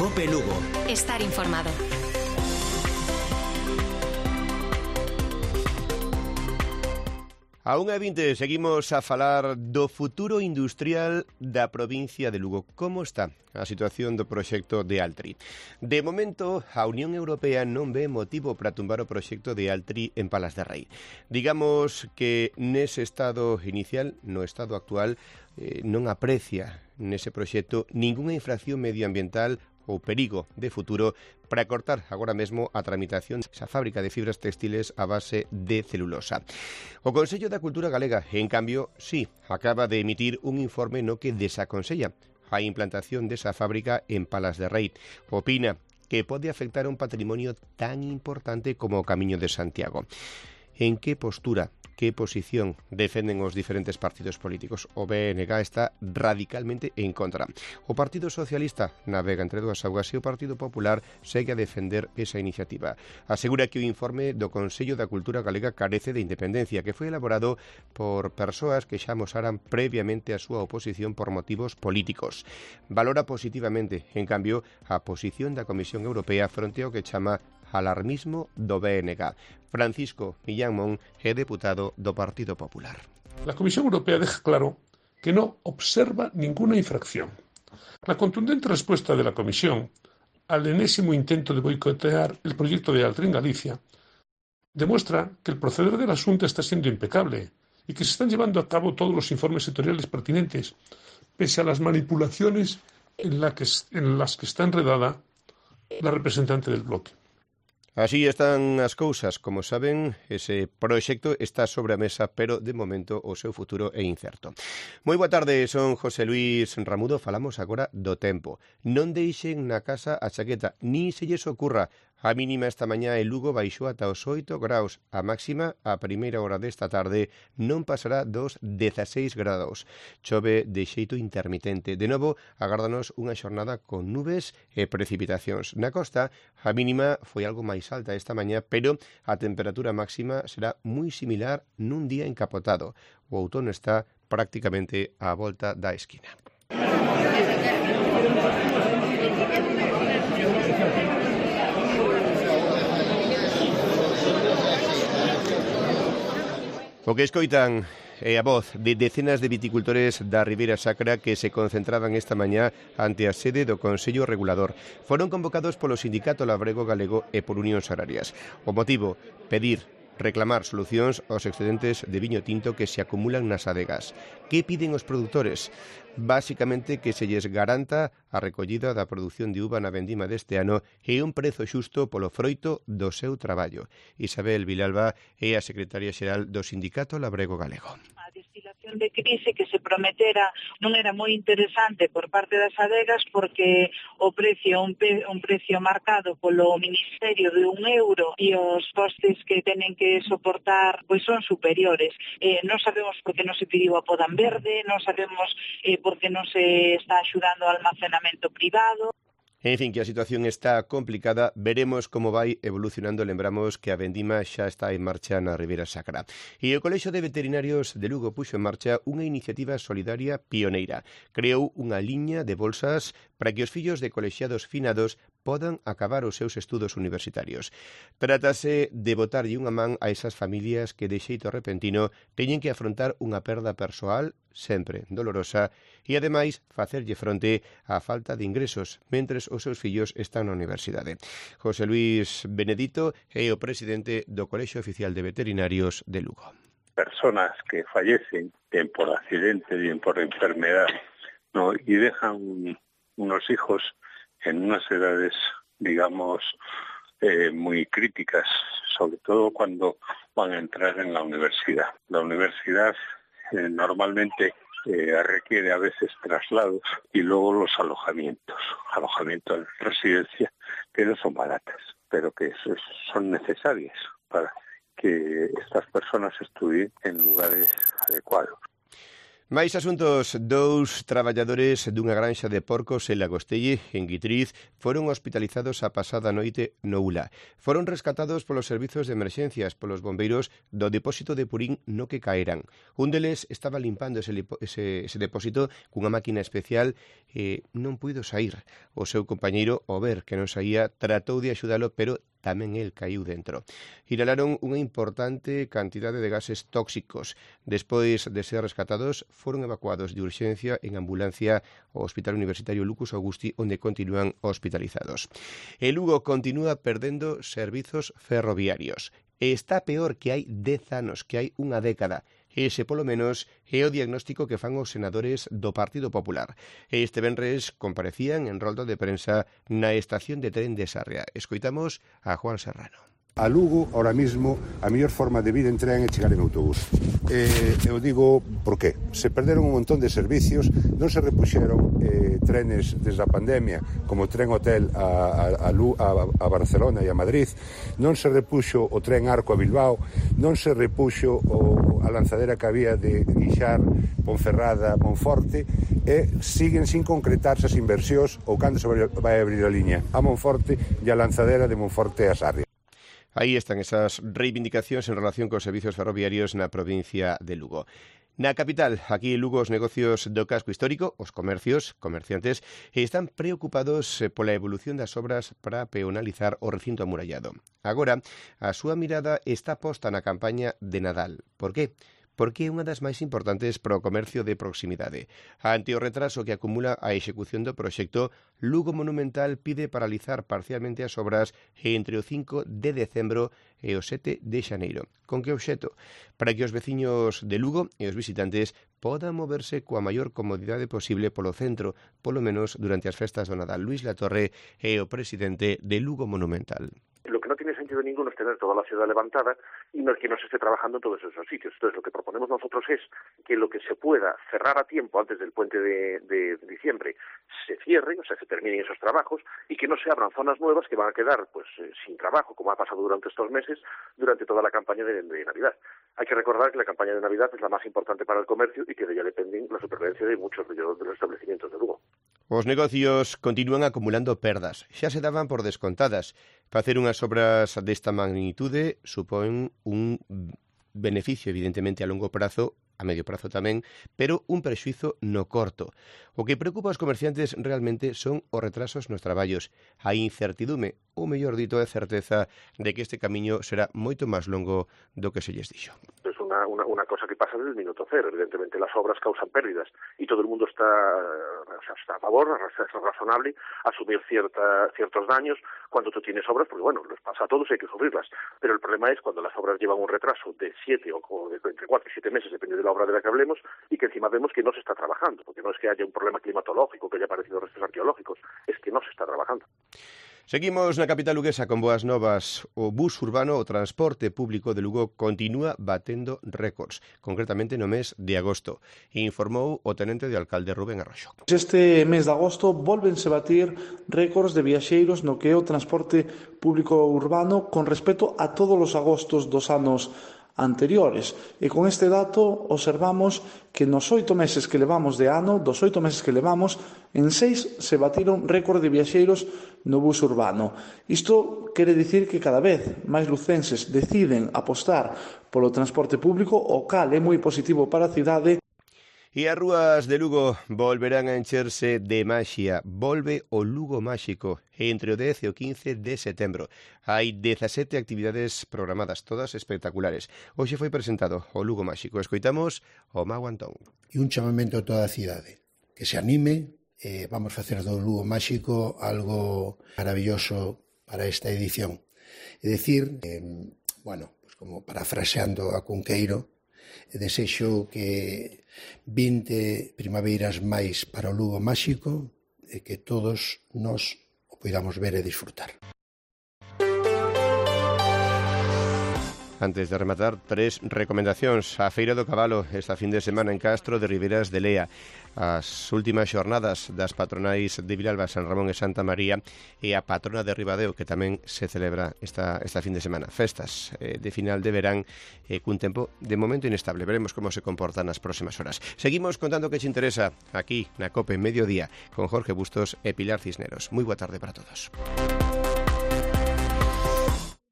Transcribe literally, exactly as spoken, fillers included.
Cope Lugo. Estar informado. A unha e vinte seguimos a falar do futuro industrial da provincia de Lugo. Como está a situación do proxecto de Altri? De momento, a Unión Europea non ve motivo para tumbar o proxecto de Altri en Palas de Rei. Digamos que nese estado inicial, no estado actual, eh, non aprecia nese proxecto ningunha infracción medioambiental ou perigo de futuro para cortar agora mesmo a tramitación desa fábrica de fibras textiles a base de celulosa. O Consello da Cultura Galega, en cambio, sí, acaba de emitir un informe no que desaconsella a implantación desa fábrica en Palas de Rei. Opina que pode afectar a un patrimonio tan importante como o Camiño de Santiago. En que postura, que posición defenden os diferentes partidos políticos? O B N G está radicalmente en contra. O Partido Socialista navega entre dúas augas e o Partido Popular segue a defender esa iniciativa. Asegura que o informe do Consello da Cultura Galega carece de independencia, que foi elaborado por persoas que xa amosaran previamente a súa oposición por motivos políticos. Valora positivamente, en cambio, a posición da Comisión Europea fronte ao que chama alarmismo do B N G. Francisco Millán Mon é deputado do Partido Popular. La Comisión Europea deja claro que no observa ninguna infracción. La contundente respuesta de la Comisión al enésimo intento de boicotear el proyecto de Altri en Galicia demuestra que el proceder del asunto está siendo impecable y que se están llevando a cabo todos los informes sectoriales pertinentes, pese a las manipulaciones en, la que, en las que está enredada la representante del bloque. Así están as cousas. Como saben, ese proxecto está sobre a mesa, pero de momento o seu futuro é incerto. Moi boa tarde, son José Luis Ramudo. Falamos agora do tempo. Non deixen na casa a chaqueta, nin se lles ocurra. A mínima esta mañá en Lugo baixou ata os oito graus. A máxima, a primeira hora desta tarde, non pasará dos dezaseis grados. Chove de xeito intermitente. De novo, agárdanos unha xornada con nubes e precipitacións. Na costa, a mínima foi algo máis alta esta mañá, pero a temperatura máxima será moi similar nun día encapotado. O outono está prácticamente á volta da esquina. O que escoitan é a voz de decenas de viticultores da Ribeira Sacra que se concentraban esta mañá ante a sede do Consello Regulador. Foron convocados polo Sindicato Labrego Galego e por Unións Agrarias. O motivo, pedir, reclamar solucións aos excedentes de viño tinto que se acumulan nas adegas. Que piden os produtores? Básicamente que se lles garanta a recollida da produción de uva na vendima deste ano e un prezo xusto polo froito do seu traballo. Isabel Vilalba é a secretaria xeral do Sindicato Labrego Galego. A destilación de crise que se prometera non era moi interesante por parte das adegas porque o precio un, pe, un precio marcado polo Ministerio de un euro e os costes que tenen que soportar pois son superiores. Eh, non sabemos por que non se pediu a podan verde, non sabemos eh, por que non se está axudando ao almacenamento privado. En fin, que a situación está complicada, veremos como vai evolucionando. Lembramos que a vendima xa está en marcha na Ribeira Sacra. E o Colexio de Veterinarios de Lugo puxo en marcha unha iniciativa solidaria pioneira. Creou unha liña de bolsas para que os fillos de colexiados finados podan acabar os seus estudos universitarios. Trátase de botarlle unha man a esas familias que de xeito repentino teñen que afrontar unha perda persoal sempre dolorosa e, ademais, facerlle fronte á falta de ingresos mentres os seus fillos están na universidade. José Luis Benedito é o presidente do Colexio Oficial de Veterinarios de Lugo. Personas que fallecen bien por accidente, bien por enfermedad, ¿no? Y dejan unos hijos en unas edades, digamos, eh, muy críticas, sobre todo cuando van a entrar en la universidad. La universidad eh, normalmente eh, requiere a veces traslados y luego los alojamientos, alojamientos de residencia que no son baratas, pero que son necesarias para que estas personas estudien en lugares adecuados. Máis asuntos. Dous traballadores dunha granxa de porcos en Lagostelle, en Guitriz, foron hospitalizados a pasada noite no Ula. Foron rescatados polos servizos de emerxencias, polos bombeiros do depósito de purín no que caeran. Un deles estaba limpando ese, ese, ese depósito cunha máquina especial e non puido sair. O seu compañeiro, ao ver que non saía, tratou de axudalo, pero tamén el caíu dentro. Inhalaron unha importante cantidade de gases tóxicos. Despois de ser rescatados, foron evacuados de urxencia en ambulancia ao Hospital Universitario Lucas Augusti, onde continúan hospitalizados. E Lugo continúa perdendo servizos ferroviarios. E está peor que hai dez anos, que hai unha década. Ese, polo menos, é o diagnóstico que fan os senadores do Partido Popular. Este venres comparecían en rolda de prensa na estación de tren de Sarria. Escoitamos a Juan Serrano. A Lugo, ahora mismo, a mellor forma de vir en tren é chegar en autobús. Eh, eu digo, por qué? Se perderon un montón de servicios, non se repuxeron eh, trenes desde a pandemia, como o tren hotel a, a, a, a Barcelona e a Madrid, non se repuxo o tren Arco a Bilbao, non se repuxo o, a lanzadera que había de Guixar, Ponferrada, Monforte, e siguen sin concretarse as inversións ou cando se vai abrir a liña a Monforte e a lanzadera de Monforte a Sarria. Aí están esas reivindicacións en relación cos servizos ferroviarios na provincia de Lugo. Na capital, aquí en Lugo, os negocios do casco histórico, os comercios, comerciantes, están preocupados pola evolución das obras para peonalizar o recinto amurallado. Agora, a súa mirada está posta na campaña de Nadal. Por qué? Porque é unha das máis importantes para o comercio de proximidade. Ante o retraso que acumula a execución do proxecto, Lugo Monumental pide paralizar parcialmente as obras entre o cinco de decembro e o sete de xaneiro. Con que obxecto? Para que os veciños de Lugo e os visitantes podan moverse coa maior comodidade posible polo centro, polo menos durante as festas do Nadal. Luis Latorre é o presidente de Lugo Monumental. Lo que no tiene sentido ninguno es tener toda la ciudad levantada y no, que no se esté trabajando en todos esos sitios. Entonces, lo que proponemos nosotros es que lo que se pueda cerrar a tiempo antes del puente de, de diciembre se cierre, o sea, se terminen esos trabajos y que no se abran zonas nuevas que van a quedar pues eh, sin trabajo, como ha pasado durante estos meses, durante toda la campaña de, de Navidad. Hay que recordar que la campaña de Navidad es la más importante para el comercio y que de ella dependen la supervivencia de muchos de los, de los establecimientos de Lugo. Os negocios continúan acumulando perdas. Xa se daban por descontadas. Facer unhas obras desta magnitude supón un beneficio, evidentemente, a longo prazo, a medio prazo tamén, pero un prexuizo no corto. O que preocupa aos comerciantes realmente son os retrasos nos traballos, a incertidume, ou mellor dito, a certeza de que este camiño será moito máis longo do que se lles dixo. Es una, una, una cosa que pasa desde el minuto cero. Evidentemente las obras causan pérdidas y todo el mundo está, o sea, está a favor, es razonable asumir cierta, ciertos daños cuando tú tienes obras, porque bueno, les pasa a todos y hay que sufrirlas. Pero el problema es cuando las obras llevan un retraso de siete o de entre cuatro y siete meses, depende de la obra de la que hablemos, y que encima vemos que no se está trabajando, porque no es que haya un problema climatológico, que haya aparecido restos arqueológicos, es que no se está trabajando. Seguimos na capital luguesa con boas novas. O bus urbano, o transporte público de Lugo, continúa batendo récords, concretamente no mes de agosto, informou o tenente de alcalde Rubén Arroxo. Este mes de agosto volvense batir récords de viaxeiros no que é o transporte público urbano con respecto a todos os agostos dos anos anteriores. E con este dato observamos que nos oito meses que levamos de ano, dos oito meses que levamos, en seis se batiron récord de viaxeiros no bus urbano. Isto quere dicir que cada vez máis lucenses deciden apostar polo transporte público, o cal é moi positivo para a cidade. E as rúas de Lugo volverán a encherse de maxia. Volve o Lugo Máxico entre o dez e o quince de setembro. Hai dezasete actividades programadas, todas espectaculares. Hoxe foi presentado o Lugo Máxico. Escoitamos o Mau Antón. E un chamamento a toda a cidade, que se anime, eh, vamos facer do Lugo Máxico algo maravilloso para esta edición. É dicir, eh, bueno, pues como parafraseando a Cunqueiro, desexo que vinte primaveiras máis para o Lugo Máxico e que todos nos o podamos ver e disfrutar. Antes de rematar, tres recomendacións. A Feira do Cabalo esta fin de semana en Castro de Ribeiras de Lea. As últimas xornadas das patronais de Vilalba, San Ramón e Santa María, e a patrona de Ribadeo, que tamén se celebra esta, esta fin de semana. Festas eh, de final de verán eh, cun tempo de momento inestable. Veremos como se comportan nas próximas horas. Seguimos contando que te interesa aquí na COPE Mediodía con Jorge Bustos e Pilar Cisneros. Moi boa tarde para todos.